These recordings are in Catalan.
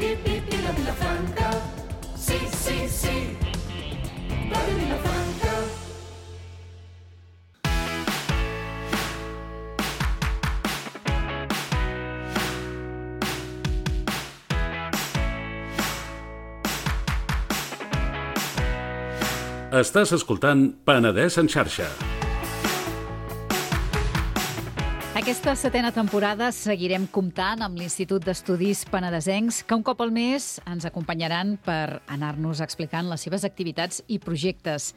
i la Vilafranca. Sí, sí, sí, Ràdio Vilafranca. Estàs escoltant Penedès en xarxa. Aquesta setena temporada seguirem comptant amb l'Institut d'Estudis Penedesencs, que un cop al mes ens acompanyaran per anar-nos explicant les seves activitats i projectes.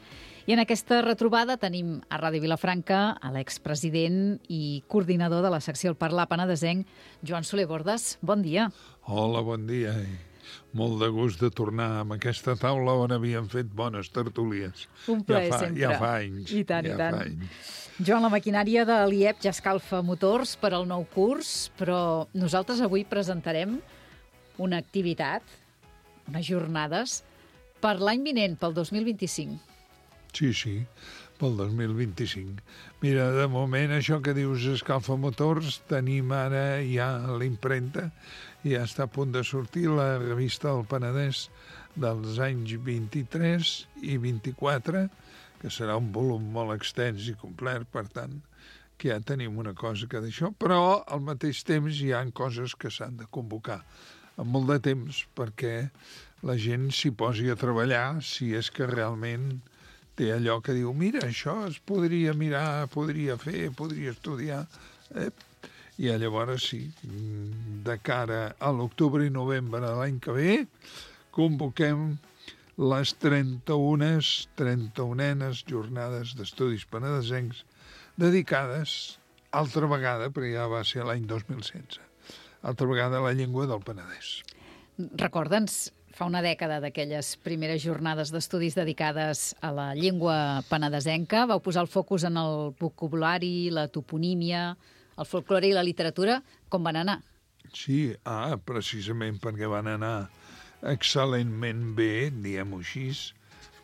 I en aquesta retrobada tenim a Ràdio Vilafranca a l'expresident i coordinador de la secció El Parlar Penedesenc, Joan Soler Bordes. Bon dia. Hola, bon dia. Molt de gust de tornar amb aquesta taula on havíem fet bones tertúlies. Un plaer sempre. Ja fa anys. I tant, i tant. Joan, la maquinària de l'IEP ja escalfa motors per al nou curs, però nosaltres avui presentarem una activitat, unes jornades, per l'any vinent, pel 2025. Sí, pel 2025. Mira, de moment, això que dius escalfa motors, tenim ara ja l'impremta, ja està a punt de sortir la revista del Penedès dels anys 23 i 24, que serà un volum molt extens i complet, per tant, que ja tenim una cosa que d'això, però al mateix temps hi ha coses que s'han de convocar amb molt de temps perquè la gent s'hi posi a treballar si és que realment té allò que diu, mira, això es podria mirar, podria fer, podria estudiar. I llavors sí, de cara a l'octubre i novembre de l'any que ve, convoquem les 31enes jornades d'estudis penedesencs dedicades, altra vegada, perquè ja va ser l'any 2016, altra vegada a la llengua del Penedès. Recorda'ns, fa una dècada d'aquelles primeres jornades d'estudis dedicades a la llengua penedesenca, vau posar el focus en el vocabulari, la toponímia, el folklore i la literatura. Com van anar? Sí, precisament perquè van anar excel·lentment bé, diguem-ho així,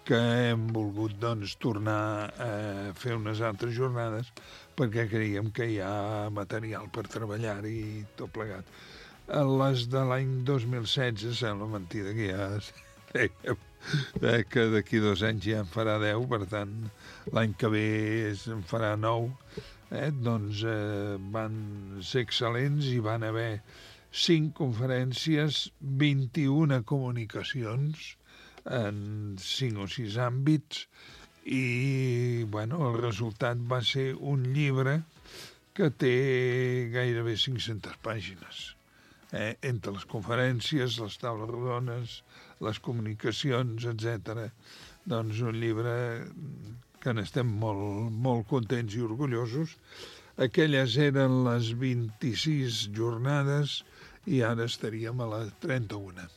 que hem volgut doncs, tornar a fer unes altres jornades perquè creiem que hi ha material per treballar i tot plegat. Les de l'any 2016, sembla mentida que ja dèiem que d'aquí 2 anys ja en farà 10, per tant, l'any que ve en farà 9, doncs van ser excel·lents i van haver 5 conferències, 21 comunicacions en 5 o 6 àmbits i el resultat va ser un llibre que té gairebé 500 pàgines. Entre les conferències, les taules rodones, les comunicacions, etc. Doncs un llibre que n'estem molt contents i orgullosos. Aquelles eren les 26 jornades i ara estaríem a les 31.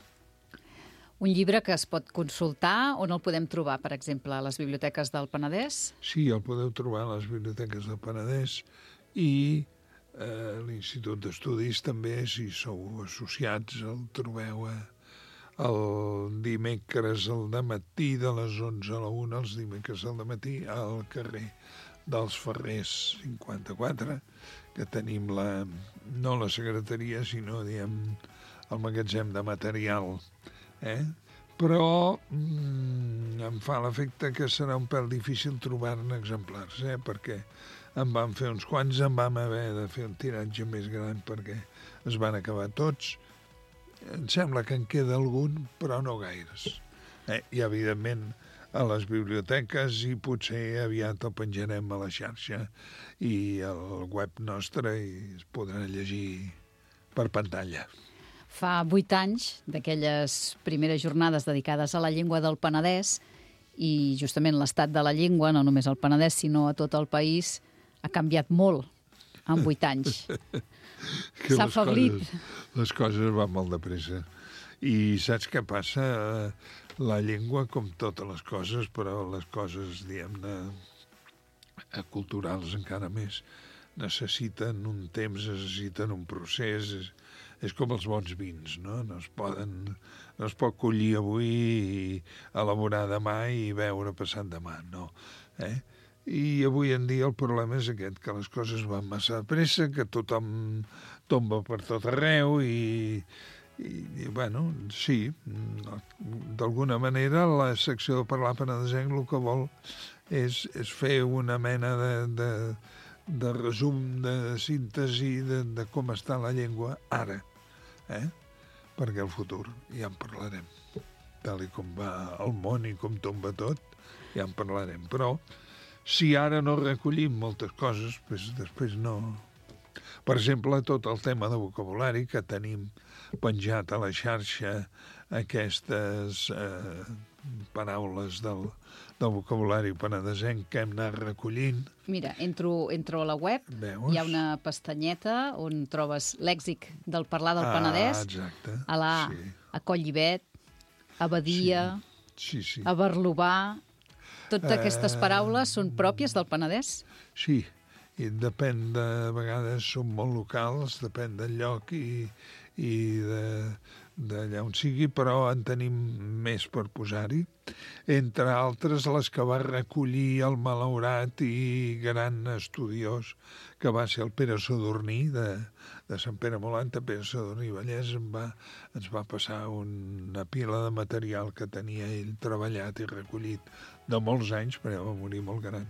Un llibre que es pot consultar, on el podem trobar, per exemple, a les biblioteques del Penedès? Sí, el podeu trobar a les biblioteques del Penedès i l'Institut d'Estudis també, si sou associats, el trobeu el dimecres al dematí de les 11 a la 1, els dimecres al dematí al carrer dels Ferrers 54, que tenim no la secretaria, sinó, el magatzem de material. Però em fa l'efecte que serà un pèl difícil trobar-ne exemplars, perquè en vam fer uns quants, en vam haver de fer un tiratge més gran perquè es van acabar tots. Em sembla que en queda algun, però no gaires. I, evidentment, a les biblioteques i potser aviat el penjarem a la xarxa i al web nostre i es podrà llegir per pantalla. Fa 8 anys d'aquelles primeres jornades dedicades a la llengua del Penedès i justament l'estat de la llengua, no només al Penedès sinó a tot el país, ha canviat molt en 8 anys. S'ha afeblit. Les coses van molt de pressa. I saps què passa? La llengua, com totes les coses, però les coses, diguem-ne, culturals encara més, necessiten un temps, necessiten un procés. És com els bons vins, no? No es pot collir avui i elaborar demà i beure passat demà, no. I avui en dia el problema és aquest, que les coses van massa de pressa, que tothom tomba per tot arreu i bueno, sí, d'alguna manera la secció de Parlar Penedesenc el que vol és fer una mena de resum, de síntesi de com està la llengua ara, perquè el futur ja en parlarem. Tal i com va el món i com tomba tot, ja en parlarem. Però si ara no recollim moltes coses, després no... Per exemple, tot el tema de vocabulari que tenim penjat a la xarxa, aquestes paraules del vocabulari penedesenc que hem anat recollint. Mira, entro a la web, Veus? hi ha una pestanyeta on trobes lèxic del parlar del Penedès, exacte. a la Sí. a Collivet, a Badia, Sí. a Barlovà... Totes aquestes paraules són pròpies del Penedès? Sí, i depèn de vegades són molt locals, depèn del lloc i d'allà on sigui, però en tenim més per posar-hi. Entre altres, les que va recollir el malaurat i gran estudiós que va ser el Pere Sadurní, de Sant Pere Molanta. Pere Sadurní Vallès ens va passar una pila de material que tenia ell treballat i recollit de molts anys, perquè va morir molt gran.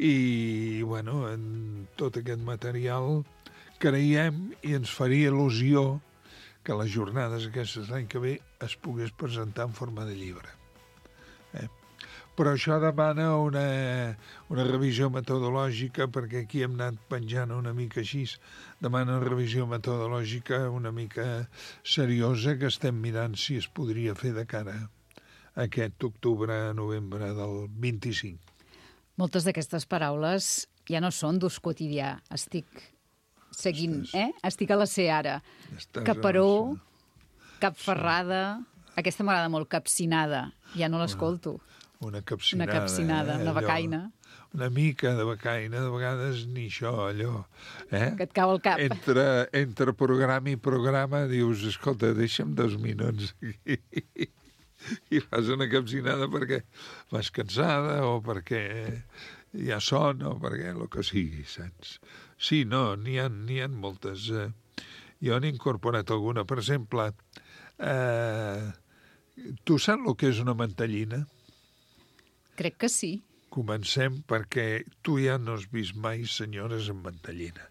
I, bueno, en tot aquest material creiem i ens faria il·lusió que les jornades aquestes l'any que ve es pogués presentar en forma de llibre. Però això demana una revisió metodològica, perquè aquí hem anat penjant una mica així, demana una revisió metodològica una mica seriosa que estem mirant si es podria fer de cara a aquest octubre-novembre del 25. Moltes d'aquestes paraules ja no són d'ús quotidià. Estic seguint, Estic a la Seara. Caparó, capferrada... Aquesta m'agrada molt, capcinada. Ja no l'escolto. Una capcinada. Una capcinada, una becaina. Una mica de becaina, de vegades ni això, allò. Que et cau al cap. Entre programa i programa dius, escolta, deixa'm 2 minuts i fas una capcinada perquè vas cansada o perquè hi ha son o perquè el que sigui, saps? Sí, no, n'hi ha moltes. Jo n'he incorporat alguna. Per exemple, tu saps el que és una mantellina? Crec que sí. Comencem perquè tu ja no has vist mai senyores amb mantellina,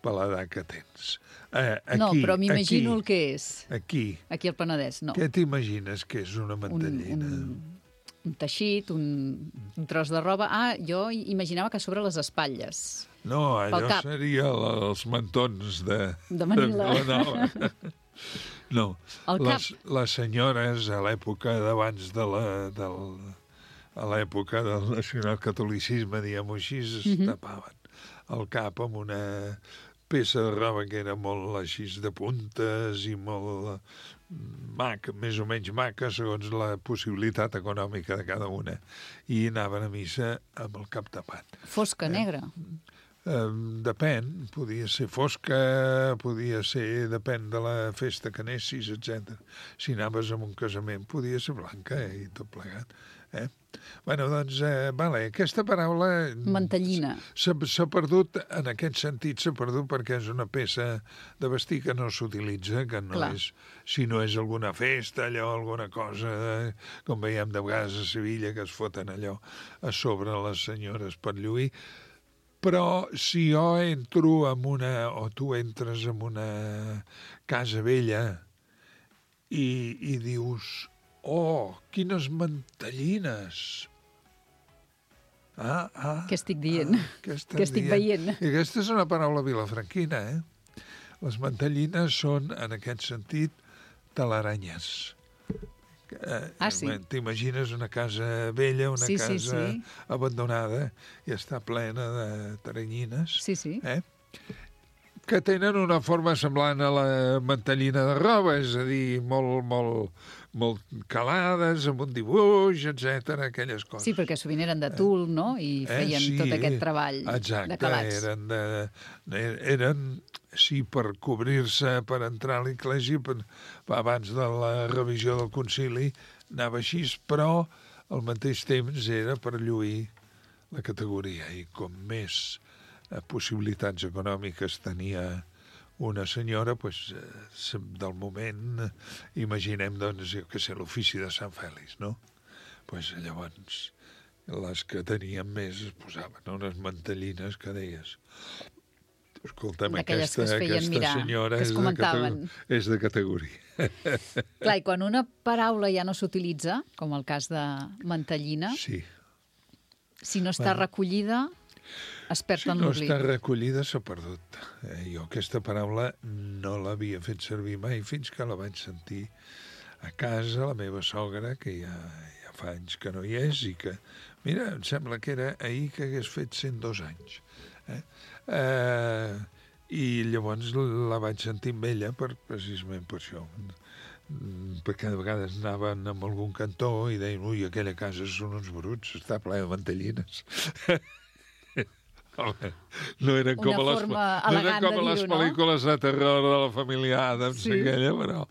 per l'edat que tens. Aquí, no, però m'imagino el que és. Aquí al Penedès, no. Què t'imagines que és una mantellina? Un teixit, un tros de roba. Jo imaginava que sobre les espatlles. No, allò seria els mantons de Manila. Vilanova. No, les senyores a l'època d'abans a l'època del nacionalcatolicisme, diguem-ho així, es tapaven el cap amb una peça de roba que era molt així de puntes i molt maca, més o menys maca, segons la possibilitat econòmica de cada una. I anaven a missa amb el cap tapat. Fosca, negra? Depèn, podia ser fosca, depèn de la festa que anessis, etc. Si anaves a un casament, podia ser blanca i tot plegat. Bueno, doncs, aquesta paraula... Mantellina. S'ha perdut, en aquest sentit, s'ha perdut perquè és una peça de vestir que no s'utilitza, que no és, si no és alguna festa, allò, alguna cosa, com veiem de vegades a Sevilla, que es foten allò a sobre les senyores per lluir. Però si jo entro o tu entres en una casa vella i dius... Oh, quines mantellines! Què estic dient? Què estic veient? I aquesta és una paraula vilafranquina, Les mantellines són, en aquest sentit, telaranyes. Sí? T'imagines una casa vella, una casa abandonada, i està plena de taranyines. Sí. Que tenen una forma semblant a la mantellina de roba, és a dir, molt calades, amb un dibuix, etc, aquelles coses. Sí, perquè sovint eren de tul, no? I feien tot aquest treball de calats. Eren, per cobrir-se, per entrar a l'església, abans de la revisió del concili, anava així, però al mateix temps era per lluir la categoria, i com més possibilitats econòmiques tenia una senyora, pues, del moment, imaginem, doncs, jo què sé, l'ofici de Sant Fèlix, no? Pues, llavors, les que tenien més es posaven unes mantellines que deies, escolta'm, aquesta senyora és de categoria. Clar, i quan una paraula ja no s'utilitza, com el cas de mantellina, sí. Si no està recollida, es perd en l'oblit. Si no està recollida, s'ha perdut. Jo aquesta paraula no l'havia fet servir mai fins que la vaig sentir a casa, la meva sogra, que ja fa anys que no hi és, i que, mira, em sembla que era ahir que hagués fet 102 anys. I llavors la vaig sentir amb ella precisament per això. Perquè de vegades anaven a algun cantó i deien, ui, aquella casa són uns bruts, està ple de mantellines. No eren com a les pel·lícules de terror de la família Adams, aquella, però...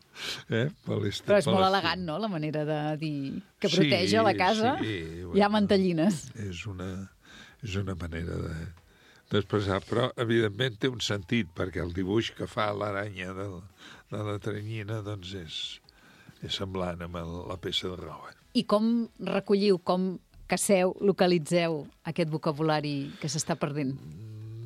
Però és molt elegant, no?, la manera de dir que proteja la casa. Hi ha mantellines. És una manera d'expressar, però evidentment té un sentit, perquè el dibuix que fa l'aranya de la teranyina doncs és semblant amb la peça de roba. I com recolliu, com caceu, localitzeu aquest vocabulari que s'està perdent?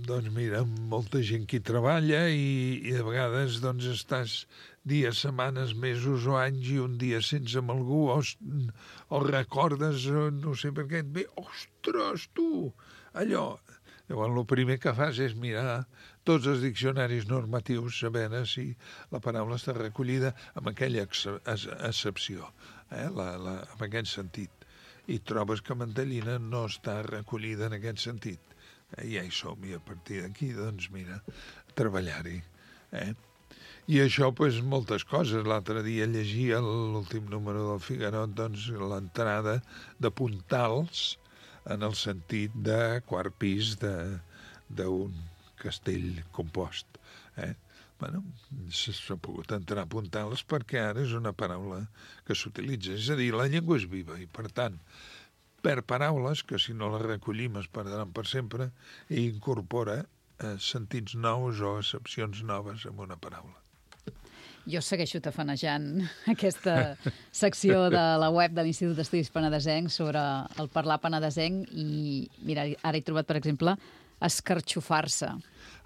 Doncs mira, molta gent que hi treballa i de vegades doncs estàs dies, setmanes, mesos o anys i un dia sense amb algú o recordes, no sé per què et ve, ostres, tu, allò. Llavors, el primer que fas és mirar tots els diccionaris normatius, saber si la paraula està recollida amb aquella accepció, amb aquest sentit. I trobes que mantellina no està recollida en aquest sentit. Ja hi som, i a partir d'aquí, doncs, mira, treballar-hi. I això, doncs, moltes coses. L'altre dia llegia l'últim número del Figaro, doncs, l'entrada de puntals en el sentit de quart pis d'un castell compost. Bueno, s'ha pogut entrar a puntals perquè ara és una paraula que s'utilitza. És a dir, la llengua és viva i, per tant, per paraules que si no les recollim es perdran per sempre i incorpora sentits nous o accepcions noves en una paraula. Jo segueixo tafanejant aquesta secció de la web de l'Institut d'Estudis Penedesencs sobre el parlar penedesenc i, mira, ara he trobat, per exemple, escarxofar-se.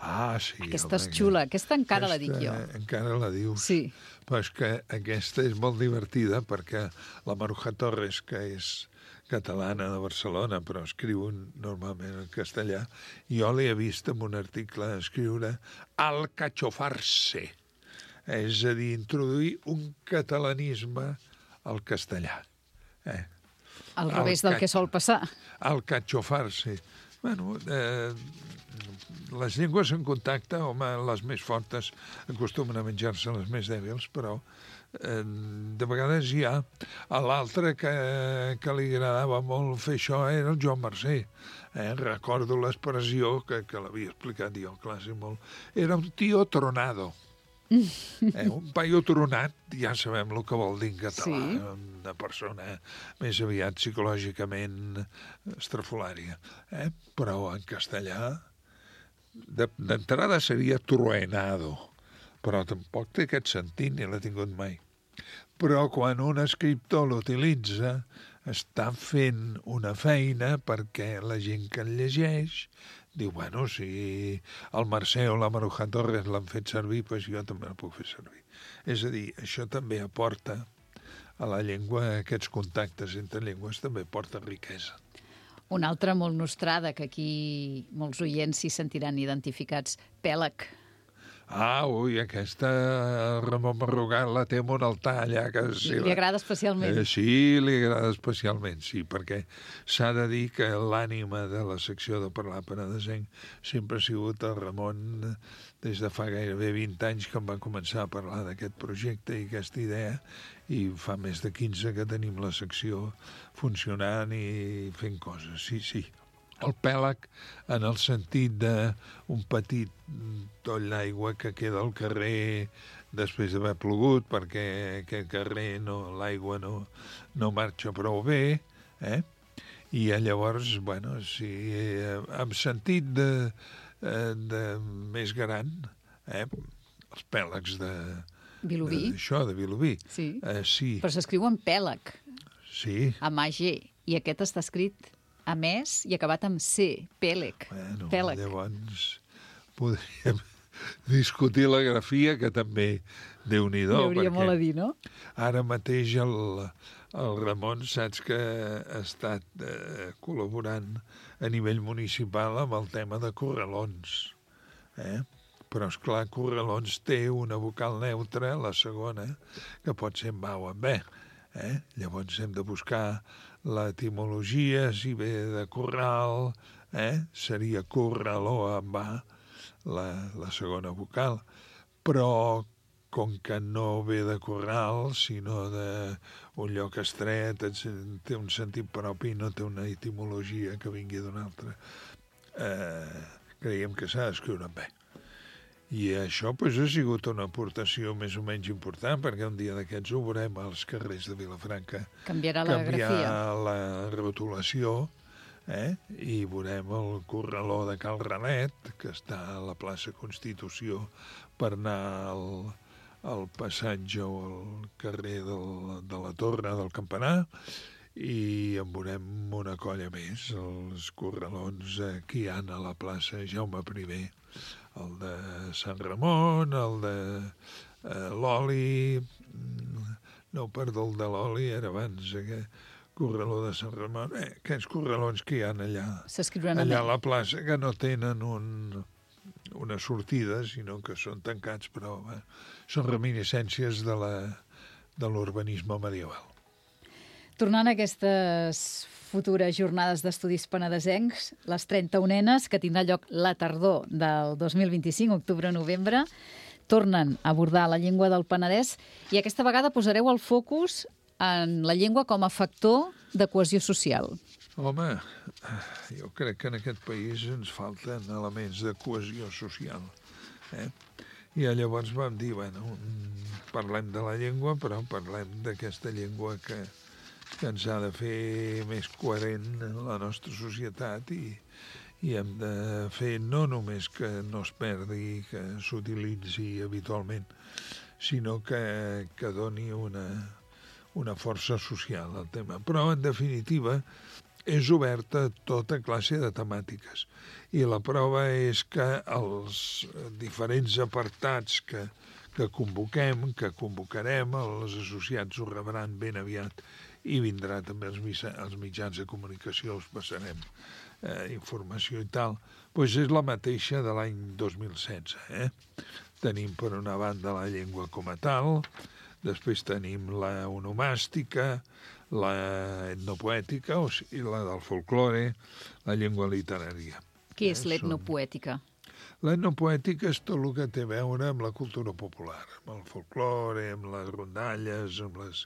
Ah, sí. Aquesta és xula. Aquesta encara la dic jo. Encara la dius. Sí. Però és que aquesta és molt divertida perquè la Maruja Torres, que és catalana de Barcelona, però escriu normalment en castellà, jo l'he vist en un article escriure alcachofar-se. És a dir, introduir un catalanisme al castellà. Al revés del que sol passar. Alcachofar-se. Bueno, les llengües en contacte, home, les més fortes acostumen a menjar-se les més dèbils, però de vegades hi ha. A l'altre que li agradava molt fer això era el Joan Mercè. Recordo l'expressió que l'havia explicat jo a classe molt. Era un tío tronado. Un paio tronat, ja sabem el que vol dir en català, sí. Una persona més aviat psicològicament estrafolària, però en castellà d'entrada seria truenado, però tampoc té aquest sentit ni l'ha tingut mai. Però quan un escriptor l'utilitza està fent una feina perquè la gent que el llegeix diu, bueno, si el Mercè o la Maruja Torres l'han fet servir, doncs jo també la puc fer servir. És a dir, això també aporta a la llengua, aquests contactes entre llengües també aporta riquesa. Una altra molt nostrada, que aquí molts oients s'hi sentiran identificats, pèlag. Ah, ui, aquesta Ramon Marrugat la té en un altar allà. Li agrada especialment. Sí, li agrada especialment, sí, perquè s'ha de dir que l'ànima de la secció de Parlar Penedesenc sempre ha sigut el Ramon des de fa gairebé 20 anys que em va començar a parlar d'aquest projecte i aquesta idea, i fa més de 15 que tenim la secció funcionant i fent coses, sí. El pèlag en el sentit d'un petit toll d'aigua que queda al carrer després d'haver plogut perquè aquest carrer l'aigua no marxa prou bé, i llavors, bueno, sí, amb sentit de més gran, els pèlags Vilobí. de Vilobí. Sí. Sí, Però s'escriu en pèlag, sí. amb AG, i aquest està escrit amb S i acabat amb C, pèleg. Bueno, Pèlag. llavors podríem discutir la grafia, que també Déu-n'hi-do. Hi hauria molt a dir, no? Ara mateix el Ramon, saps que ha estat col·laborant a nivell municipal amb el tema de corralons. Però, esclar, corralons té una vocal neutra, la segona, que pot ser amb A o amb B. Llavors hem de buscar l'etimologia, si ve de corral, seria corraló amb A, la segona vocal. Però, com que no ve de corral, sinó d'un lloc estret, té un sentit propi, no té una etimologia que vingui d'un altre, creiem que s'ha d'escriure amb B. I això doncs, ha sigut una aportació més o menys important, perquè un dia d'aquests ho veurem als carrers de Vilafranca. Canviarà la grafia. Canviar la rotulació, i veurem el corraló de Cal Ranet, que està a la plaça Constitució, per anar al passatge o al carrer de la Torre del Campanar, i en veurem una colla més, els corralons que hi ha a la plaça Jaume I, el de Sant Ramon, el de l'Oli, no, perdó, el de l'Oli era abans, aquest corraló de Sant Ramon, aquests corralons que hi ha allà, S'escriuran allà a amb la plaça, que no tenen una sortida, sinó que són tancats, però són reminiscències de l'urbanisme medieval. Tornant a aquestes futures jornades d'estudis penedesencs, les 31enes, que tindrà lloc la tardor del 2025, octubre-novembre, tornen a abordar la llengua del Penedès i aquesta vegada posareu el focus en la llengua com a factor de cohesió social. Home, jo crec que en aquest país ens falten elements de cohesió social. I llavors vam dir, bueno, parlem de la llengua, però parlem d'aquesta llengua que ens ha de fer més coherent la nostra societat i hem de fer no només que no es perdi, que s'utilitzi habitualment, sinó que doni una força social al tema. Però, en definitiva, és oberta a tota classe de temàtiques. I la prova és que els diferents apartats que convocarem, els associats ho rebran ben aviat i vindrà també els mitjans de comunicació, els passarem informació i tal, doncs és la mateixa de l'any 2016. Tenim per una banda la llengua com a tal, després tenim la onomàstica, la etnopoètica, o sigui, la del folklore, la llengua literària. Què és l'etnopoètica? L'etnopoètica és tot el que té a veure amb la cultura popular, amb el folklore, amb les rondalles, amb les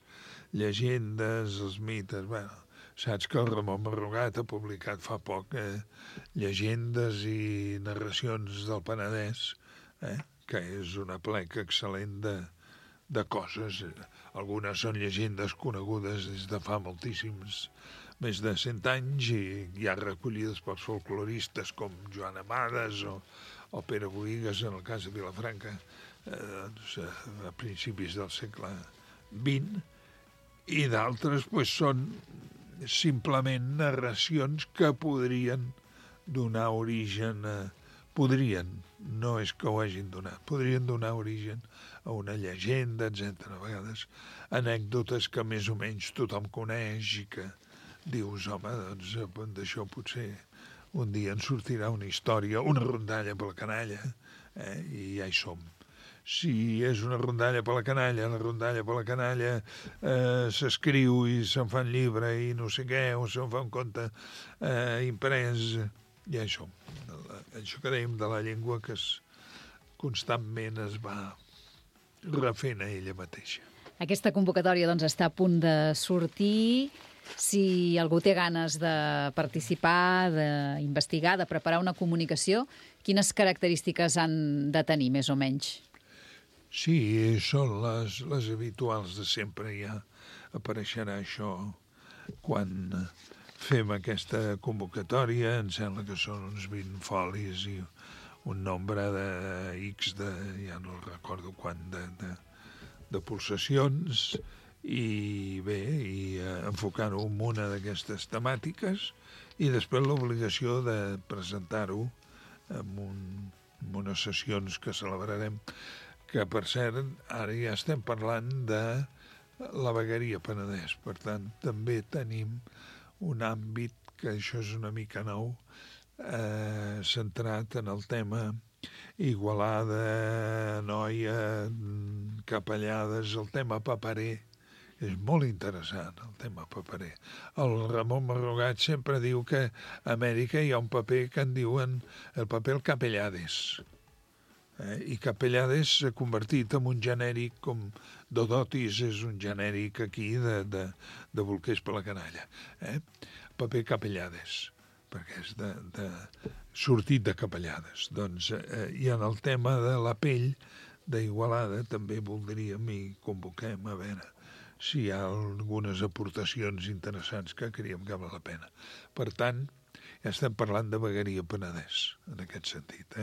llegendes, els mites. Bueno, saps que el Ramon Marrugat ha publicat fa poc llegendes i narracions del Penedès, que és una pleca excel·lent de coses. Algunes són llegendes conegudes des de fa moltíssims, més de 100 anys, i ja recollides pels folcloristes com Joan Amades o Pere Boïgues, en el cas de Vilafranca, a principis del segle XX, i d'altres són simplement narracions que podrien donar origen podrien, no és que ho hagin donat, podrien donar origen a una llegenda, etc. A vegades anècdotes que més o menys tothom coneix i que dius, home, doncs d'això potser un dia en sortirà una història, una rondalla per la canalla, i ja hi som. Si és una rondalla per la canalla s'escriu i se'n fa un llibre i no sé què, o se'n fa un conte imprès, ja hi som. Això que dèiem de la llengua que constantment es va refent a ella mateixa. Aquesta convocatòria està a punt de sortir. Si algú té ganes de participar, d'investigar, de preparar una comunicació, quines característiques han de tenir, més o menys? Sí, són les habituals de sempre. Ja apareixerà això quan fem aquesta convocatòria. Em sembla que són uns 20 folis i un nombre de X ja no recordo quant, de pulsacions, i bé, enfocar-ho en una d'aquestes temàtiques i després l'obligació de presentar-ho en unes sessions que celebrarem, que per cert ara ja estem parlant de la vegueria Penedès, per tant també tenim un àmbit que això és una mica nou, centrat en el tema Igualada, Anoia, Capellades, el tema paperer. És molt interessant, el tema paperer. El Ramon Marrogat sempre diu que a Amèrica hi ha un paper que en diuen el paper Capellades. I Capellades s'ha convertit en un genèric com Dodotis és un genèric aquí de bolquers per la canalla. Paper Capellades, perquè és sortit de Capellades. Doncs, i en el tema de la pell d'Igualada també voldríem i convoquem a veure si hi ha algunes aportacions interessants que creiem que val la pena. Per tant, ja estem parlant de vegueria Penedès, en aquest sentit,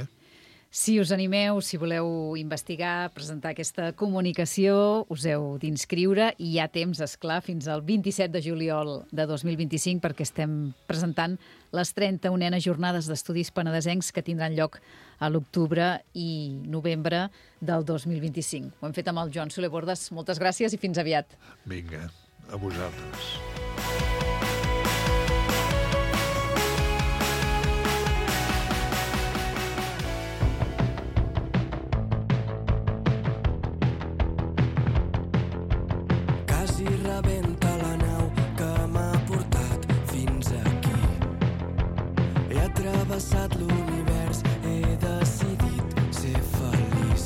Si us animeu, si voleu investigar, presentar aquesta comunicació, us heu d'inscriure i hi ha temps, esclar, fins al 27 de juliol de 2025 perquè estem presentant les 31enes jornades d'estudis penedesencs que tindran lloc a l'octubre i novembre del 2025. Ho hem fet amb el Joan Soler Bordes. Moltes gràcies i fins aviat. Vinga, a vosaltres. Passat l'univers, he decidit ser feliç.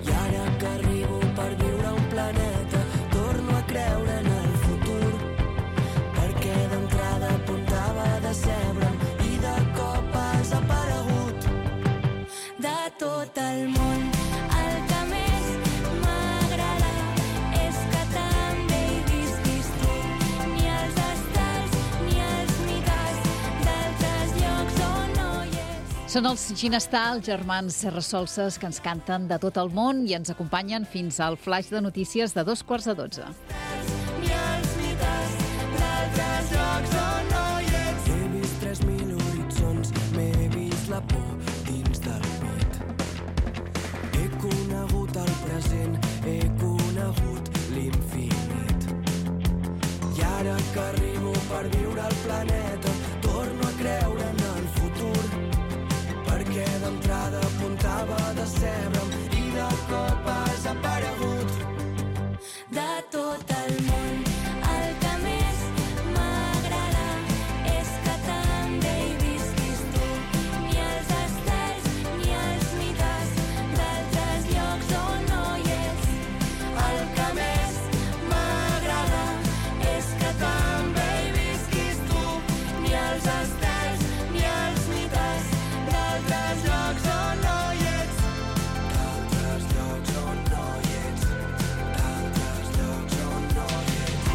I ara que arribo per viure a un planeta, torno a creure en el futur, perquè d'entrada apuntava a decebre'm i de cop has aparegut. De tot el món, el que més m'agrada és que també hi visquis tu, ni els estels ni els mites d'altres llocs on no hi és. Són els Ginestar, els germans Serrasolses, que ens canten de tot el món i ens acompanyen fins al flash de notícies de 11:45. Ni els mites d'altres llocs on no hi ets. He vist 3.000 horitzons, m'he vist la por dins del pit. He conegut el present, he conegut l'infinit. I ara que arribo per viure al planeta, torno a creure en el futur, perquè d'entrada apuntava a decebre'm i de cop has aparegut. De tot el món, el que més m'agrada és que també hi visquis tu, ni els estels ni els mites d'altres llocs on no hi és. El que més m'agrada és que també hi visquis tu, ni els estels ni els mites d'altres llocs on no hi ets. D'altres llocs on no hi ets. D'altres llocs on no hi ets.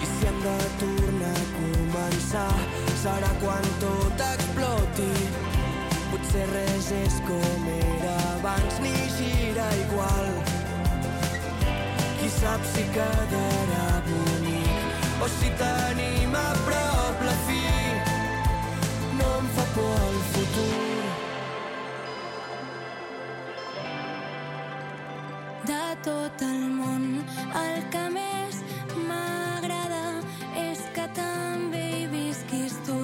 I si hem de tornar a començar, serà quan tot exploti. Potser res és com era abans ni gira igual. Qui sap si quedarà bonic o si tenim a prop la fi. No em fa por el futur. De tot el món, el que més m'agrada és que també hi visquis tu,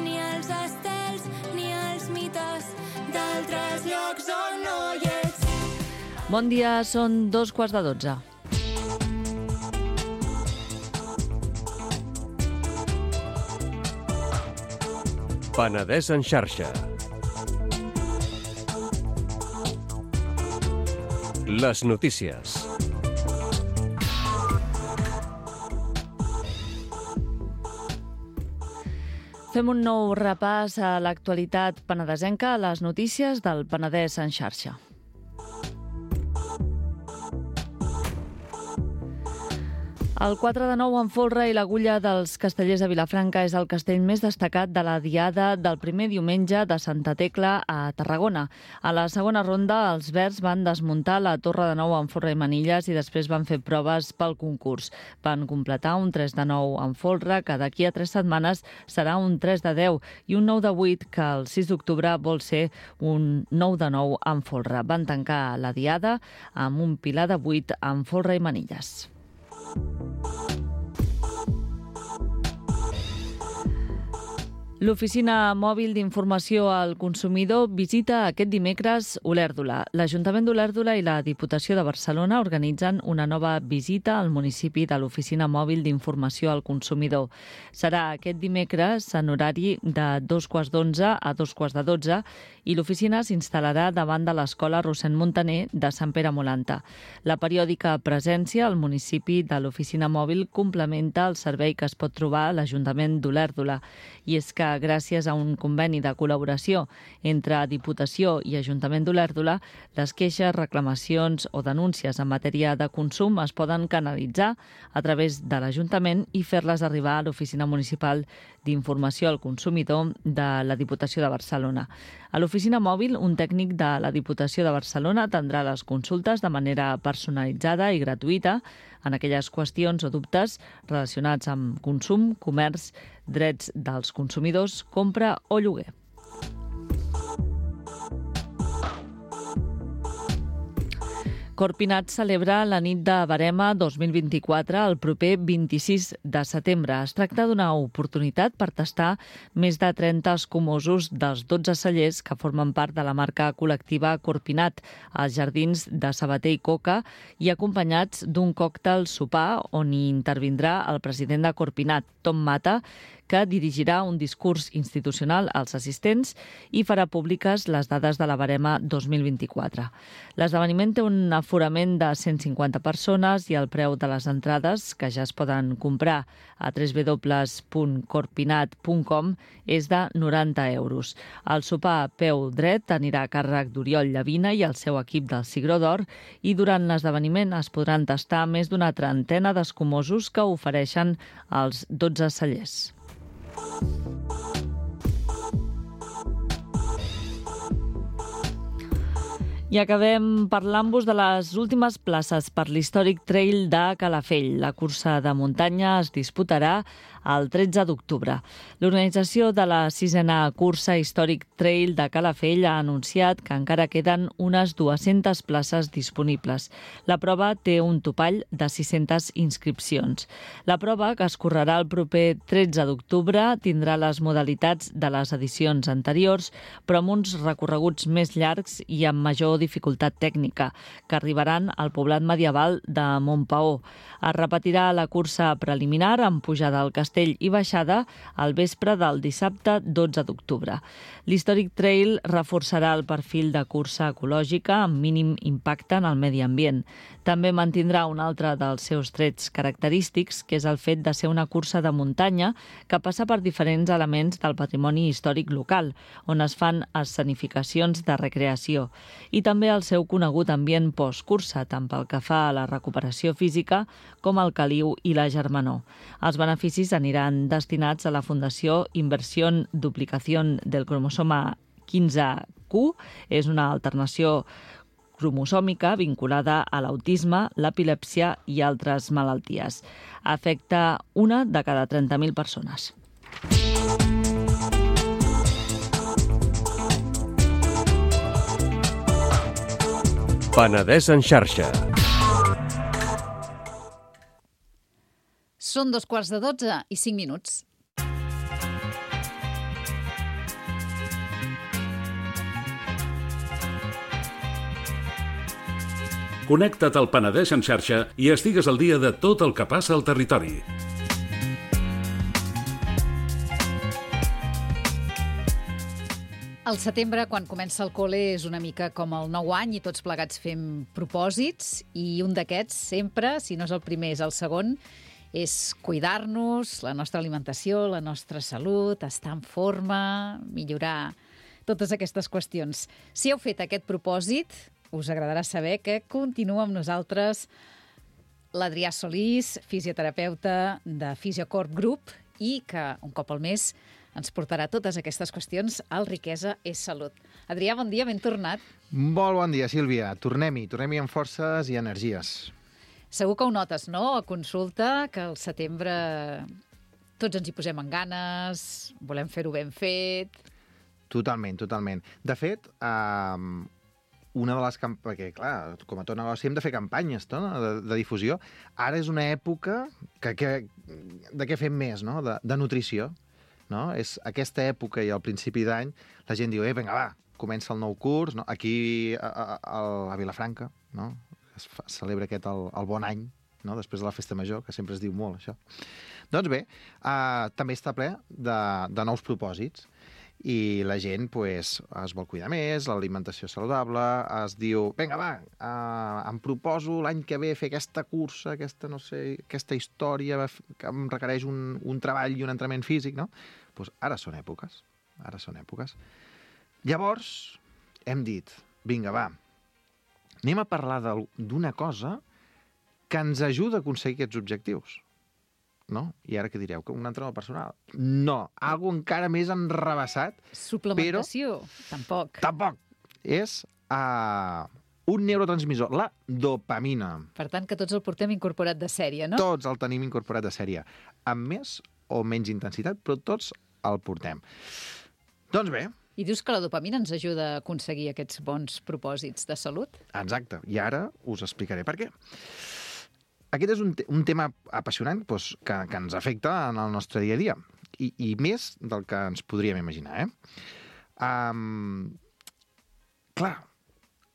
ni els estels ni els mites d'altres llocs on no hi ets. Bon dia, són 11:45. Penedès en xarxa. Les notícies. Fem un nou repàs a l'actualitat penedesenca, a les notícies del Penedès en xarxa. El 4 de 9 en folre i l'agulla dels Castellers de Vilafranca és el castell més destacat de la diada del primer diumenge de Santa Tecla a Tarragona. A la segona ronda, els verds van desmuntar la torre de 9 en folre i manilles i després van fer proves pel concurs. Van completar un 3 de 9 en folre, que d'aquí a 3 setmanes serà un 3 de 10 i un 9 de 8, que el 6 d'octubre vol ser un 9 de 9 en folre. Van tancar la diada amb un pilar de 8 en folre i manilles. L'Oficina Mòbil d'Informació al Consumidor visita aquest dimecres Olèrdola. L'Ajuntament d'Olèrdola i la Diputació de Barcelona organitzen una nova visita al municipi de l'Oficina Mòbil d'Informació al Consumidor. Serà aquest dimecres en horari de 11:15 a 11:40 i l'oficina s'instal·larà davant de l'Escola Rossend Montaner de Sant Pere Molanta. La periòdica presència al municipi de l'Oficina Mòbil complementa el servei que es pot trobar a l'Ajuntament d'Olèrdola. I és que gràcies a un conveni de col·laboració entre Diputació i Ajuntament d'Olèrdola, les queixes, reclamacions o denúncies en matèria de consum es poden canalitzar a través de l'Ajuntament i fer-les arribar a l'Oficina Municipal d'Informació al Consumidor de la Diputació de Barcelona. A l'oficina mòbil, un tècnic de la Diputació de Barcelona atendrà les consultes de manera personalitzada i gratuïta en aquelles qüestions o dubtes relacionats amb consum, comerç, drets dels consumidors, compra o lloguer. Corpinat celebra la nit de Verema 2024 el proper 26 de setembre. Es tracta d'una oportunitat per tastar més de 30 escumosos dels 12 cellers que formen part de la marca col·lectiva Corpinat als jardins de Sabater i Coca i acompanyats d'un còctel sopar on hi intervindrà el president de Corpinat, Tom Mata, que dirigirà un discurs institucional als assistents i farà públiques les dades de la Verema 2024. L'esdeveniment té un aforament de 150 persones i el preu de les entrades, que ja es poden comprar a www.corpinat.com, és de 90 euros. El sopar a peu dret anirà a càrrec d'Oriol Llavina i el seu equip del Cigró d'Or i durant l'esdeveniment es podran tastar més d'una trentena d'escumosos que ofereixen els 12 cellers. I acabem parlant-vos de les últimes places per l'històric trail de Calafell. La cursa de muntanya es disputarà el 13 d'octubre. L'organització de la 6a cursa històric trail de Calafell ha anunciat que encara queden unes 200 places disponibles. La prova té un topall de 600 inscripcions. La prova, que es correrà el proper 13 d'octubre, tindrà les modalitats de les edicions anteriors, però amb uns recorreguts més llargs i amb major dificultat tècnica, que arribaran al poblat medieval de Montpaó. Es repetirà la cursa preliminar amb pujada al castell i baixada al vespre del dissabte 12 d'octubre. L'Històric Trail reforçarà el perfil de cursa ecològica amb mínim impacte en el medi ambient. També mantindrà un altre dels seus trets característics, que és el fet de ser una cursa de muntanya que passa per diferents elements del patrimoni històric local, on es fan escenificacions de recreació, i també el seu conegut ambient postcursa, tant pel que fa a la recuperació física com al caliu i la germanor. Els beneficis aniran destinats a la Fundació Inversión Duplicación del Cromosoma 15Q. És una alternació cromosòmica vinculada a l'autisme, l'epilèpsia i altres malalties. Afecta una de cada 30.000 persones. Penedès en xarxa. Són 12:15 i 5 minuts. Connecta't al Penedès en xarxa i estigues al dia de tot el que passa al territori. El setembre, quan comença el col·le, és una mica com el nou any i tots plegats fem propòsits, i un d'aquests sempre, si no és el primer, és el segon, és cuidar-nos, la nostra alimentació, la nostra salut, estar en forma, millorar totes aquestes qüestions. Si heu fet aquest propòsit, us agradarà saber que continua amb nosaltres l'Adrià Solís, fisioterapeuta de Fisiocorp Group i que un cop al mes ens portarà totes aquestes qüestions al Riquesa és Salut. Adrià, bon dia, ben tornat. Molt bon dia, Sílvia. Tornem-hi amb forces i energies. Segur que ho notes, no?, a consulta, que al setembre tots ens hi posem en ganes, volem fer-ho ben fet. Totalment. De fet, una de les perquè, clar, com a tot negoci hem de fer campanyes, no?, de difusió. Ara és una època de què fem més, no?, de nutrició. No? És aquesta època i al principi d'any la gent diu, vinga, va, comença el nou curs, no? Aquí a Vilafranca, no? Es celebra el bon any, no? Després de la festa major, que sempre es diu molt, això. Doncs bé, també està ple de nous propòsits i la gent pues, es vol cuidar més, l'alimentació saludable, es diu, vinga, va, em proposo l'any que ve fer aquesta cursa, aquesta història que em requereix un treball i un entrenament físic, no? Pues ara són èpoques. Llavors, hem dit, vinga, va, anem a parlar d'una cosa que ens ajuda a aconseguir aquests objectius. No? I ara què direu? Que un entrenador personal? No, algo encara més enrevessat. Suplementació? Però... Tampoc. És un neurotransmissor, la dopamina. Per tant, que tots el portem incorporat de sèrie, no? Tots el tenim incorporat de sèrie. Amb més o menys intensitat, però tots el portem. Doncs bé. I dius que la dopamina ens ajuda a aconseguir aquests bons propòsits de salut? Exacte. I ara us explicaré per què. Aquest és un tema apassionant doncs, que ens afecta en el nostre dia a dia, i més del que ens podríem imaginar. Clar,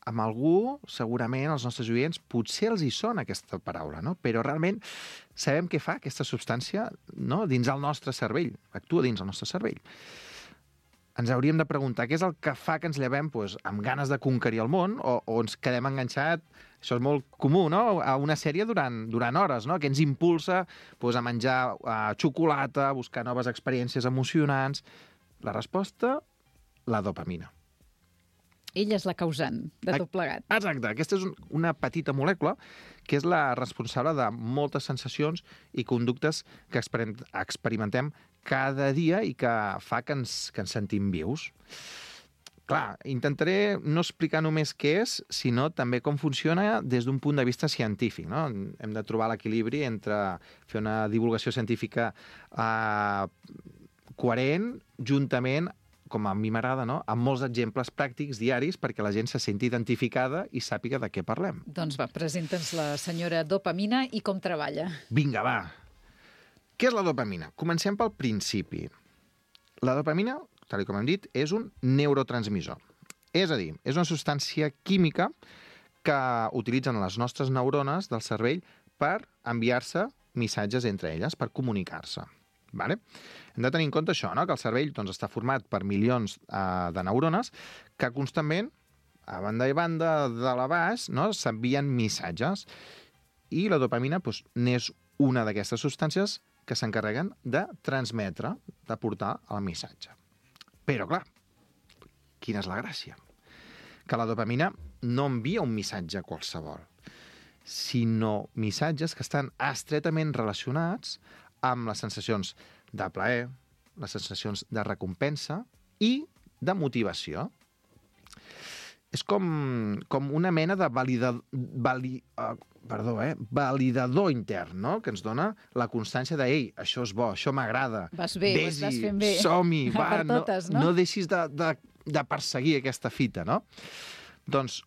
amb algú, segurament, els nostres oients, potser els hi sona aquesta paraula, no? Però realment sabem què fa aquesta substància, no?, dins el nostre cervell, actua dins el nostre cervell. Ens hauríem de preguntar què és el que fa que ens llevem doncs, amb ganes de conquerir el món o ens quedem enganxat, això és molt comú, no?, a una sèrie durant hores, no?, que ens impulsa doncs, a menjar xocolata, a buscar noves experiències emocionants. La resposta, la dopamina. Ella és la causant de tot plegat. Exacte. Aquesta és una petita molècula que és la responsable de moltes sensacions i conductes que experimentem cada dia i que fa que ens sentim vius. Clar, intentaré no explicar només què és, sinó també com funciona des d'un punt de vista científic. No? Hem de trobar l'equilibri entre fer una divulgació científica coherent, juntament, com a mi m'agrada, no?, amb molts exemples pràctics diaris perquè la gent se senti identificada i sàpiga de què parlem. Doncs va, presenta'ns la senyora dopamina i com treballa. Vinga, va. Què és la dopamina? Comencem pel principi. La dopamina, tal com hem dit, és un neurotransmissor. És a dir, és una substància química que utilitzen les nostres neurones del cervell per enviar-se missatges entre elles, per comunicar-se. Vale? Hem de tenir en compte això, no?, que el cervell doncs, està format per milions de neurones que constantment, a banda i banda, de la baix, no?, s'envien missatges. I la dopamina doncs, n'és una d'aquestes substàncies que s'encarreguen de transmetre, de portar el missatge. Però, clar, quina és la gràcia? Que la dopamina no envia un missatge qualsevol, sinó missatges que estan estretament relacionats amb les sensacions de plaer, les sensacions de recompensa i de motivació. És com una mena de validador intern, no?, que ens dona la constància de «Ei, això és bo, això m'agrada». Vas bé, ho estàs fent bé. Som-hi, va, per totes, no? No deixis de perseguir aquesta fita, no? Doncs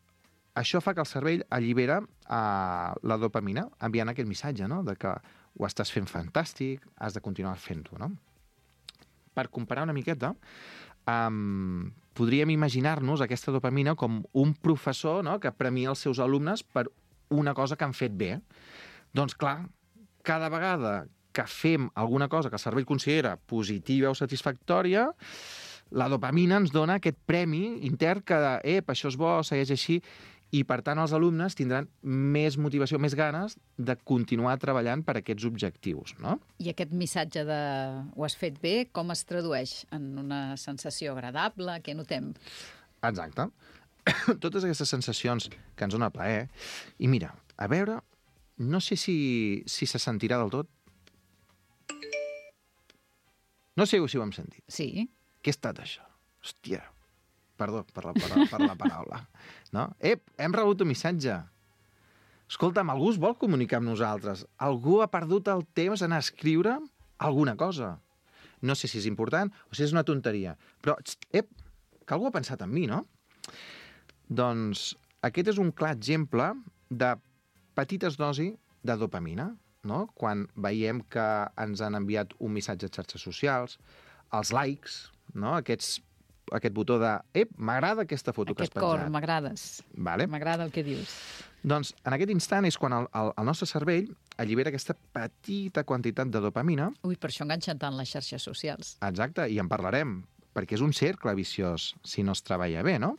això fa que el cervell allibera la dopamina enviant aquest missatge, no?, de que ho estàs fent fantàstic, has de continuar fent-ho, no? Per comparar una miqueta, podríem imaginar-nos aquesta dopamina com un professor, no?, que premia els seus alumnes per una cosa que han fet bé. Doncs clar, cada vegada que fem alguna cosa que el cervell considera positiva o satisfactòria, la dopamina ens dona aquest premi intern que, això és bo, segueix així, i, per tant, els alumnes tindran més motivació, més ganes de continuar treballant per aquests objectius, no? I aquest missatge de ho has fet bé, com es tradueix? En una sensació agradable? Què notem? Exacte. Totes aquestes sensacions que ens dona plaer. I mira, a veure no sé si se sentirà del tot. No sé si ho hem sentit. Sí. Què ha estat això? Hòstia, perdó per la paraula. No? Hem rebut un missatge. Escolta'm, algú es vol comunicar amb nosaltres. Algú ha perdut el temps en escriure alguna cosa. No sé si és important o si és una tonteria. Però, que algú ha pensat en mi, no? Doncs aquest és un clar exemple de petites dosis de dopamina, no? Quan veiem que ens han enviat un missatge a xarxes socials, els likes, no? Aquest botó de m'agrada aquesta foto que has Aquest penjat. cor, m'agrades. Vale? M'agrada el que dius. Doncs en aquest instant és quan el nostre cervell allibera aquesta petita quantitat de dopamina. Ui, per això enganxen tant les xarxes socials. Exacte, i en parlarem, perquè és un cercle viciós si no es treballa bé, no?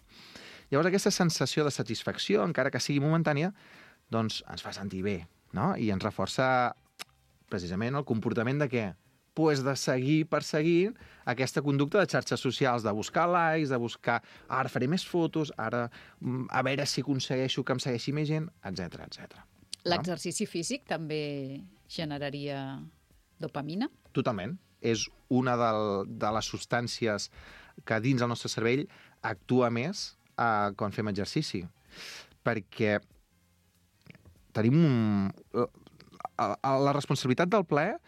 Llavors aquesta sensació de satisfacció, encara que sigui momentània, doncs ens fa sentir bé, no? I ens reforça precisament el comportament de què? Pues de seguir perseguint aquesta conducta de xarxes socials, de buscar likes, de buscar ara faré més fotos, ara a veure si aconsegueixo que em segueixi més gent, etc etc. L'exercici físic també generaria dopamina? Totalment. És una de les substàncies que dins el nostre cervell actua més quan fem exercici. Perquè tenim la responsabilitat del plaer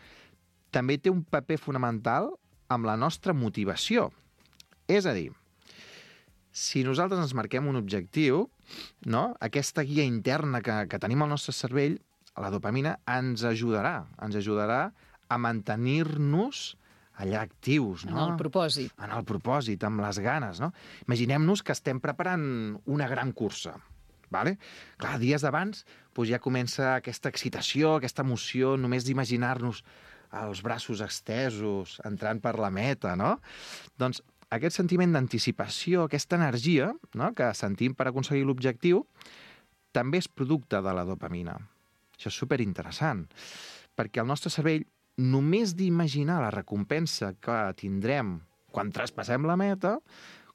també té un paper fonamental amb la nostra motivació. És a dir, si nosaltres ens marquem un objectiu, no? Aquesta guia interna que tenim al nostre cervell, la dopamina, ens ajudarà a mantenir-nos allà actius, no? En el propòsit. En el propòsit, amb les ganes, no? Imaginem-nos que estem preparant una gran cursa, vale? Clar, dies abans doncs ja comença aquesta excitació, aquesta emoció, només d'imaginar-nos els braços estesos, entrant per la meta, no? Doncs aquest sentiment d'anticipació, aquesta energia, no?, que sentim per aconseguir l'objectiu, també és producte de la dopamina. Això és superinteressant, perquè el nostre cervell, només d'imaginar la recompensa que tindrem quan traspassem la meta,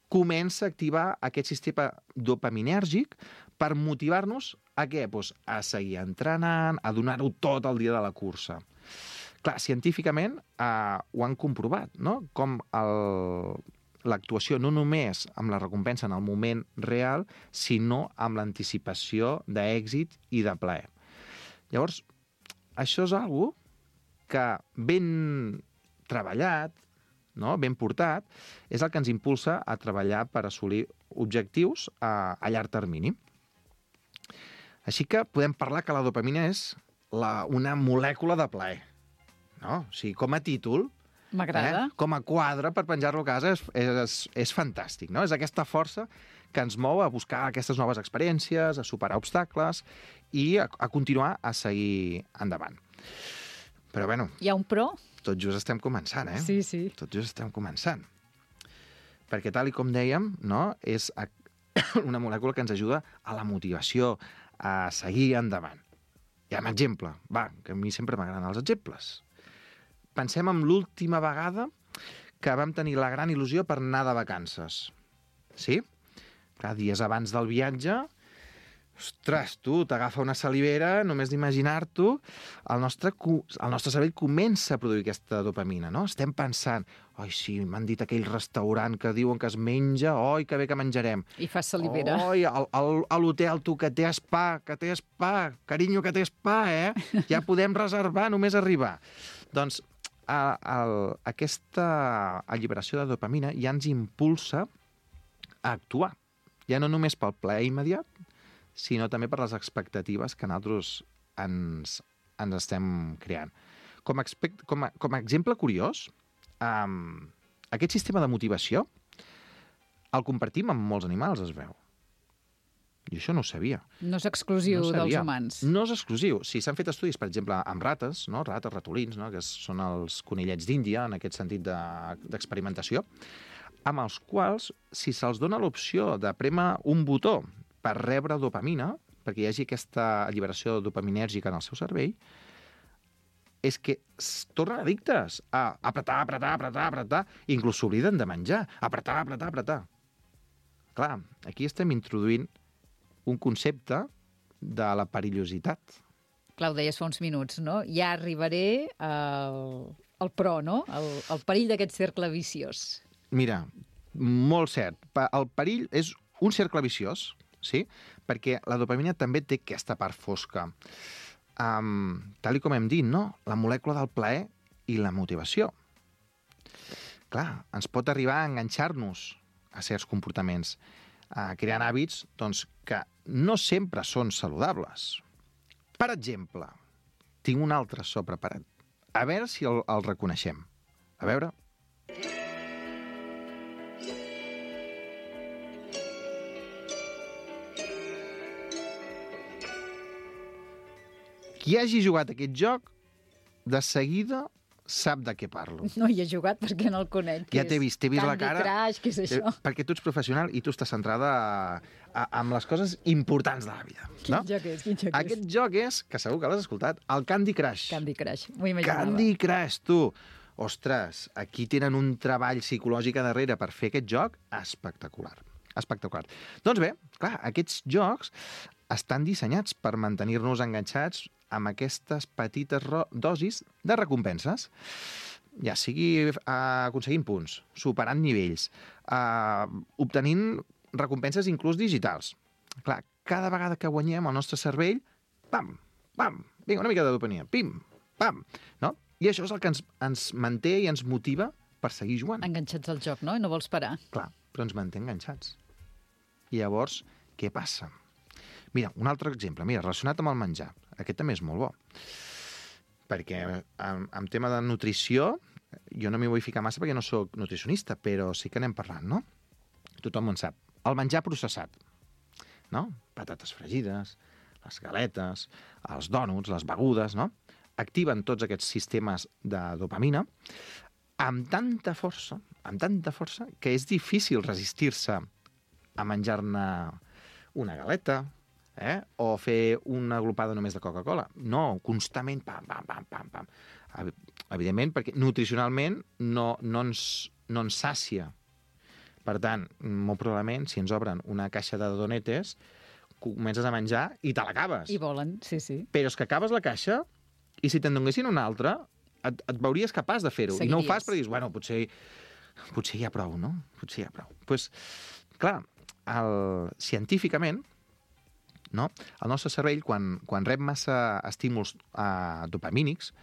comença a activar aquest sistema dopaminèrgic per motivar-nos a què? Doncs a seguir entrenant, a donar-ho tot el dia de la cursa. Clar, científicament ho han comprovat, no? Com l'actuació no només amb la recompensa en el moment real, sinó amb l'anticipació d'èxit i de plaer. Llavors, això és algo que ben treballat, no? Ben portat, és el que ens impulsa a treballar per assolir objectius a llarg termini. Així que podem parlar que la dopamina és una molècula de plaer. No? O sigui, com a títol, m'agrada. Com a quadre per penjar-lo a casa és fantàstic, no? És aquesta força que ens mou a buscar aquestes noves experiències, a superar obstacles i a continuar a seguir endavant. Però, bueno... Hi ha un però? Tot just estem començant, eh? Sí, sí. Tot just estem començant. Perquè, tal com dèiem, no? És una molècula que ens ajuda a la motivació, a seguir endavant. Hi ha un exemple, que a mi sempre m'agraden els exemples. Pensem en l'última vegada que vam tenir la gran il·lusió per anar de vacances. Sí? Clar, dies abans del viatge, ostres, tu, t'agafa una salivera, només d'imaginar-t'ho, el nostre cervell comença a produir aquesta dopamina, no? Estem pensant, oi, sí, m'han dit aquell restaurant que diuen que es menja, oi, que bé que menjarem. I fa salivera. Oi, a l'hotel, tu, que té spa, carinyo, que té spa, Ja podem reservar, només arribar. Doncs aquesta alliberació de dopamina ja ens impulsa a actuar. Ja no només pel plaer immediat, sinó també per les expectatives que nosaltres ens estem creant. Com a exemple curiós, aquest sistema de motivació el compartim amb molts animals, es veu. Jo això no ho sabia. No és exclusiu dels humans. No és exclusiu. Sí, s'han fet estudis, per exemple, amb rates, no? Rates, ratolins, no? Que són els conillets d'Índia, en aquest sentit d'experimentació, amb els quals, si se'ls dona l'opció de prémer un botó per rebre dopamina, perquè hi hagi aquesta alliberació dopaminèrgica en el seu cervell, és que es tornen addictes a apretar, i inclús s'obliden de menjar. Apretar. Clar, aquí estem introduint un concepte de la perillositat Clar, ho deies fa uns minuts, no? Ja arribaré al pro, no? El perill d'aquest cercle viciós. Mira, molt cert. El perill és un cercle viciós, sí? Perquè la dopamina també té aquesta part fosca. Tal com hem dit, no? La molècula del plaer i la motivació. Clar, ens pot arribar a enganxar-nos a certs comportaments, creant hàbits doncs, que no sempre són saludables. Per exemple, tinc un altre so preparat. A veure si el reconeixem. A veure... Qui hagi jugat aquest joc, de seguida sap de què parlo. No hi he jugat perquè no el conec. Ja t'he vist la cara. Candy Crush, què és això? Perquè tu ets professional i tu estàs centrada en les coses importants de la vida. Quin joc és? Aquest joc és, que segur que l'has escoltat, el Candy Crush. Candy Crush, m'ho imaginava. Candy Crush, tu! Ostres, aquí tenen un treball psicològic a darrere per fer aquest joc espectacular. Espectacular. Doncs bé, clar, aquests jocs estan dissenyats per mantenir-nos enganxats amb aquestes petites dosis de recompenses. Ja sigui aconseguint punts, superant nivells, obtenint recompenses inclús digitals. Clar, cada vegada que guanyem el nostre cervell, pam, pam, vinga, una mica de dopamina, pim, pam, no? I això és el que ens manté i ens motiva per seguir jugant. Enganxats al joc, no? I no vols parar. Clar, però ens manté enganxats. I llavors, què passa? Mira, un altre exemple, relacionat amb el menjar. Aquest també és molt bo. Perquè en tema de nutrició, jo no m'hi vull ficar massa perquè no sóc nutricionista, però sí que anem parlant, no? Tothom en sap. El menjar processat, no? Patates fregides, les galetes, els dònuts, les begudes, no? Activen tots aquests sistemes de dopamina amb tanta força, que és difícil resistir-se a menjar-ne una galeta, o fer una glopada només de Coca-Cola. No, constantment, pam, pam, pam, pam, pam. Evidentment, perquè nutricionalment no ens sàcia. Per tant, molt probablement, si ens obren una caixa de donetes, comences a menjar i te l'acabes. I volen, sí, sí. Però és que acabes la caixa i si te'n donessin una altra, et veuries capaç de fer-ho. I no ho fas perquè dius, bueno, potser ja prou, no? Potser ja prou. Doncs, clar, científicament, no? El nostre cervell, quan rep massa estímuls dopamínics,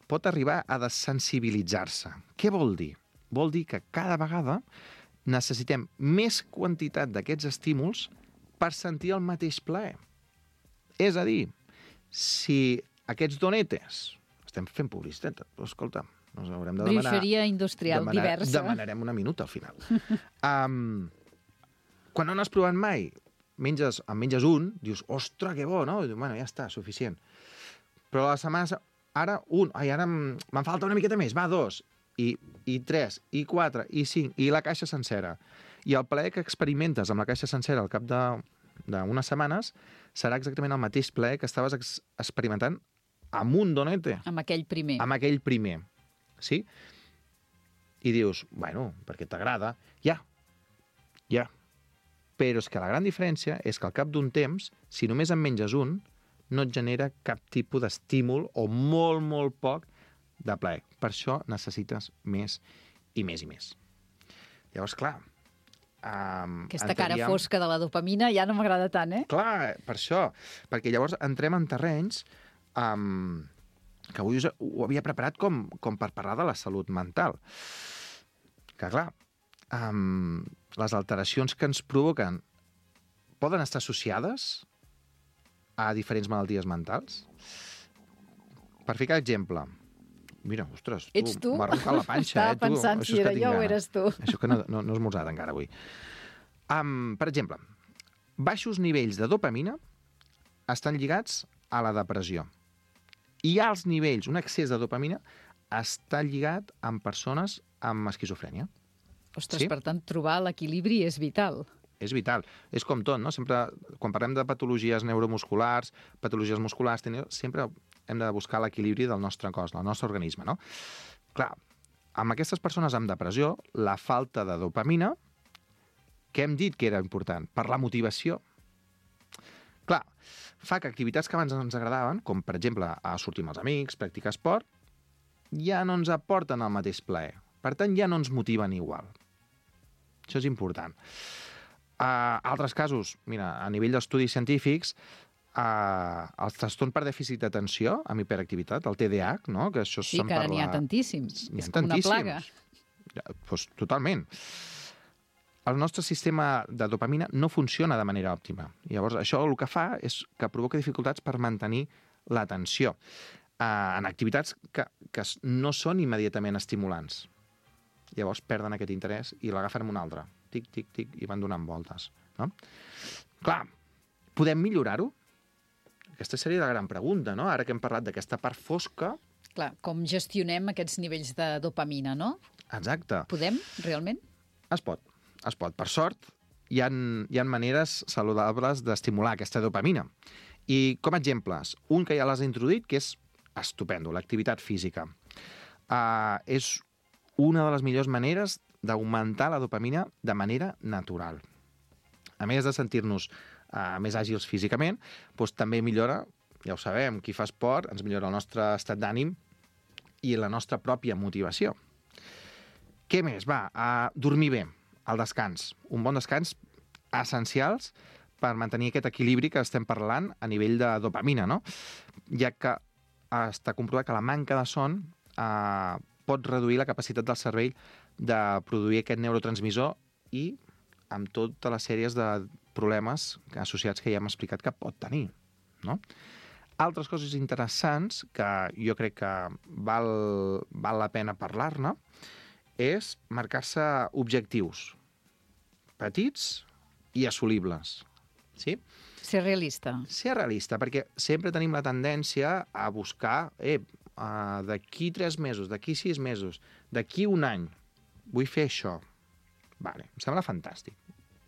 pot arribar a desensibilitzar-se. Què vol dir? Vol dir que cada vegada necessitem més quantitat d'aquests estímuls per sentir el mateix plaer. És a dir, si aquests donetes... Estem fent publicitat, però escolta, ens haurem de demanar... Bruixeria industrial diversa. Demanarem una minuta al final. Quan no n'has provat mai, en menges un, dius, ostres, que bo, no? I dius, bueno, ja està, suficient. Però la setmana, ara un, ara me'n falta una miqueta més, va, 2, i 3, i 4, i 5, i la caixa sencera. I el plaer que experimentes amb la caixa sencera al cap d'unes setmanes serà exactament el mateix plaer que estaves experimentant amb un donete. Amb aquell primer. Amb aquell primer, sí? I dius, bueno, perquè t'agrada, ja. Però és que la gran diferència és que al cap d'un temps, si només en menges un, no et genera cap tipus d'estímul o molt, molt poc de plaer. Per això necessites més i més i més. Llavors, clar... Aquesta cara fosca de la dopamina ja no m'agrada tant, eh? Clar, per això. Perquè llavors entrem en terrenys que avui ho havia preparat com per parlar de la salut mental. Que, clar, les alteracions que ens provoquen poden estar associades a diferents malalties mentals? Per ficar exemple, mira, ostres, tu? m'ha arrencat la panxa. Estava pensant si era jo o eres tu. Això que no he esmorzat encara avui. Per exemple, baixos nivells de dopamina estan lligats a la depressió. I alts nivells, un excés de dopamina, està lligat amb persones amb esquizofrènia. Ostres, Sí? per tant, trobar l'equilibri és vital. És vital. És com tot, no? Sempre, quan parlem de patologies neuromusculars, patologies musculars, sempre hem de buscar l'equilibri del nostre cos, del nostre organisme, no? Clar, amb aquestes persones amb depressió, la falta de dopamina, què hem dit que era important? Per la motivació. Clar, fa que activitats que abans ens agradaven, com per exemple sortir amb els amics, practicar esport, ja no ens aporten el mateix plaer. Per tant, ja no ens motiven igual. Això és important. Altres casos, mira, a nivell d'estudis científics, el trastorn per dèficit d'atenció amb hiperactivitat, el TDAH, no? Que això Sí, que ara n'hi ha tantíssims. És com una plaga. Pues, totalment. El nostre sistema de dopamina no funciona de manera òptima. Llavors, això el que fa és que provoca dificultats per mantenir l'atenció en activitats que no són immediatament estimulants. Llavors perden aquest interès i l'agafen amb un altre. Tic, tic, tic, i van donant voltes. No? Clar, podem millorar-ho? Aquesta seria la gran pregunta, no? Ara que hem parlat d'aquesta part fosca... Clar, com gestionem aquests nivells de dopamina, no? Exacte. Podem, realment? Es pot. Per sort, hi ha maneres saludables d'estimular aquesta dopamina. I com a exemples, un que ja l'has introduït, que és estupendo, l'activitat física. És una de les millors maneres d'augmentar la dopamina de manera natural. A més de sentir-nos més àgils físicament, doncs també millora, ja ho sabem, qui fa esport ens millora el nostre estat d'ànim i la nostra pròpia motivació. Què més? Dormir bé, el descans. Un bon descans essencials per mantenir aquest equilibri que estem parlant a nivell de dopamina, no? Ja que està comprovat que la manca de son pot reduir la capacitat del cervell de produir aquest neurotransmissor i amb totes les sèries de problemes associats que ja hem explicat que pot tenir, no? Altres coses interessants que jo crec que val la pena parlar-ne és marcar-se objectius petits i assolibles, sí? Ser realista. Ser realista, perquè sempre tenim la tendència a buscar d'aquí 3 mesos, d'aquí 6 mesos, d'aquí un any, vull fer això. Vale, em sembla fantàstic.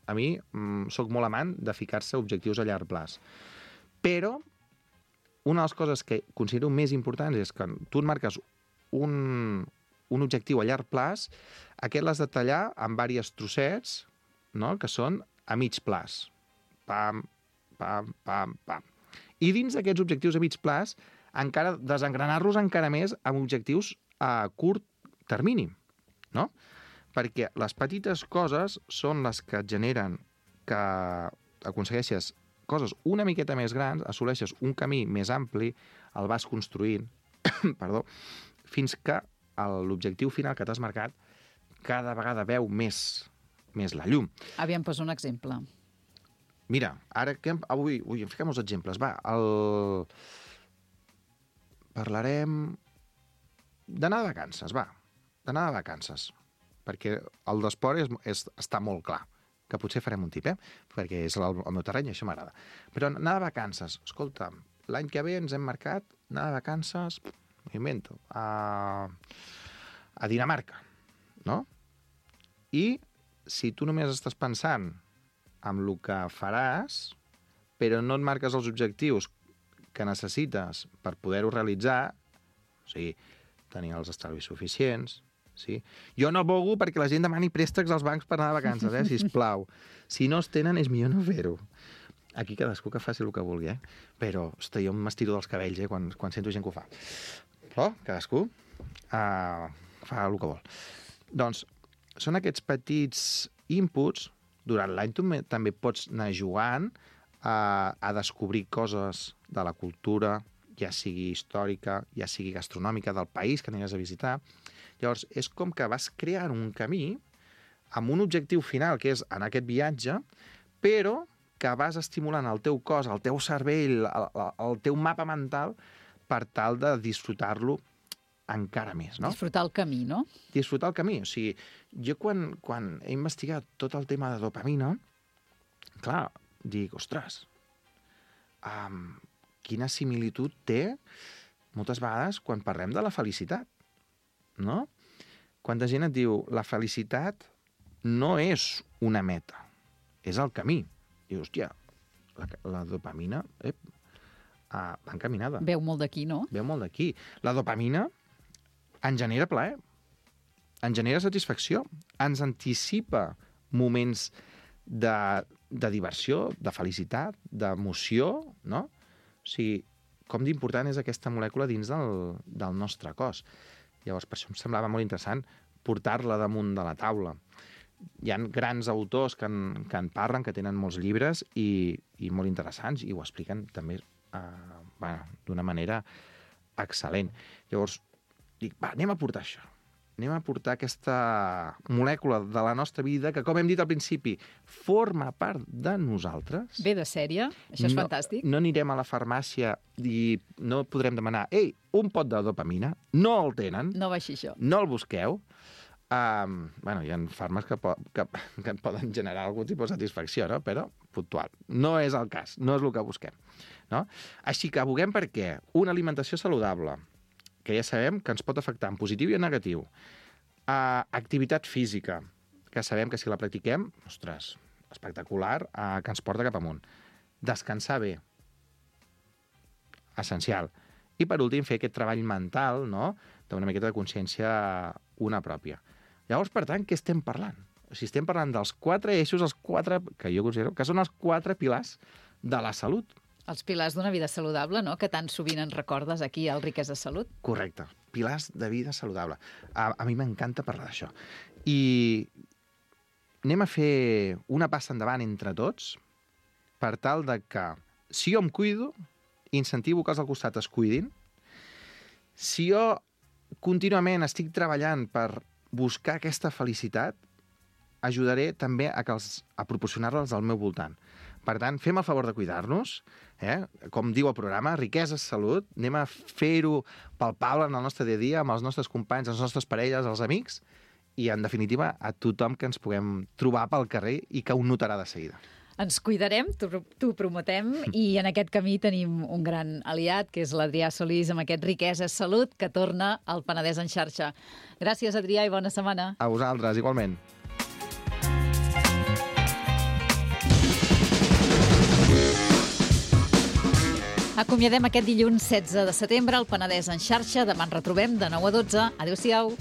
A mi sóc molt amant de ficar-se objectius a llarg plaç. Però una de les coses que considero més importants és que tu et marques un objectiu a llarg plaç, aquest l'has de tallar en diversos trossets, no?, que són a mig plaç. Pam, pam, pam, pam. I dins d'aquests objectius a mig plaç, encara desengranar-los encara més amb objectius a curt termini, no? Perquè les petites coses són les que et generen que aconsegueixes coses una miqueta més grans, assoleixes un camí més ampli, el vas construint, perdó, fins que l'objectiu final que t'has marcat cada vegada veu més la llum. Aviam, posa un exemple. Mira, ara que avui em fiquem els exemples. Parlarem d'anar de vacances, d'anar de vacances. Perquè el d'esport està molt clar, que potser farem un tip, perquè és el meu terreny i això m'agrada. Però anar de vacances, escolta, l'any que ve ens hem marcat anar de vacances, m'ho invento, a Dinamarca, no? I si tu només estàs pensant en el que faràs, però no et marques els objectius que necessites per poder-ho realitzar, o sigui, tenir els estalvis suficients... Sí. Jo no abogo perquè la gent demani préstecs als bancs per anar de vacances, sisplau. Si no es tenen, és millor no fer-ho. Aquí cadascú que faci el que vulgui, Però, ostres, jo m'estiro dels cabells, quan sento gent que ho fa. Però cadascú fa el que vol. Doncs, són aquests petits inputs. Durant l'any tu també pots anar jugant a descobrir coses de la cultura, ja sigui històrica, ja sigui gastronòmica, del país que aniràs a visitar. Llavors, és com que vas creant un camí amb un objectiu final, que és anar a aquest viatge, però que vas estimulant el teu cos, el teu cervell, el teu mapa mental, per tal de disfrutar-lo encara més, no? Disfrutar el camí, no? Disfrutar el camí. O sigui, jo quan he investigat tot el tema de dopamina, clar, dic, ostres, quina similitud té moltes vegades quan parlem de la felicitat, no? Quanta gent et diu, la felicitat no és una meta, és el camí. Dius, hòstia, la dopamina va encaminada. Veu molt d'aquí, no? Veu molt d'aquí. La dopamina ens genera plaer, ens genera satisfacció, ens anticipa moments de diversió, de felicitat, d'emoció, no? O sigui, com d'important és aquesta molècula dins del nostre cos. Llavors, per això em semblava molt interessant portar-la damunt de la taula. Hi ha grans autors que en parlen, que tenen molts llibres i molt interessants, i ho expliquen també d'una manera excel·lent. Llavors, dic, anem a portar això. Anem a portar aquesta molècula de la nostra vida que, com hem dit al principi, forma part de nosaltres. Ve de sèrie, això és fantàstic. No anirem a la farmàcia i no podrem demanar un pot de dopamina, no el tenen. No va així això. No el busqueu. Hi ha fàrmacs que poden generar algun tipus de satisfacció, no? Però puntual. No és el cas, no és el que busquem. No? Així que aboguem per què? Una alimentació saludable, que ja sabem que ens pot afectar en positiu i en negatiu. Activitat física, que sabem que si la practiquem, ostres, espectacular, que ens porta cap amunt. Descansar bé, essencial. I per últim, fer aquest treball mental, no?, d'una miqueta de consciència una pròpia. Llavors, per tant, què estem parlant? O sigui, estem parlant dels 4 eixos, els 4, que jo considero que són els 4 pilars de la salut. Els pilars d'una vida saludable, no?, que tan sovint ens recordes aquí al Riquesa Salut. Correcte. Pilars de vida saludable. A mi m'encanta parlar d'això. I anem a fer una passa endavant entre tots per tal de que, si jo em cuido, incentivo que els al costat es cuidin. Si jo contínuament estic treballant per buscar aquesta felicitat, ajudaré també a proporcionar-les al meu voltant. Per tant, fem el favor de cuidar-nos, com diu el programa, riquesa és salut, anem a fer-ho palpable en el nostre dia a dia, amb els nostres companys, les nostres parelles, els amics, i, en definitiva, a tothom que ens puguem trobar pel carrer i que ho notarà de seguida. Ens cuidarem, t'ho prometem, i en aquest camí tenim un gran aliat, que és l'Adrià Solís, amb aquest Riquesa és Salut, que torna al Penedès en xarxa. Gràcies, Adrià, i bona setmana. A vosaltres, igualment. Acomiadem aquest dilluns 16 de setembre al Penedès en xarxa. Demà ens retrobem de 9 a 12. Adéu-siau.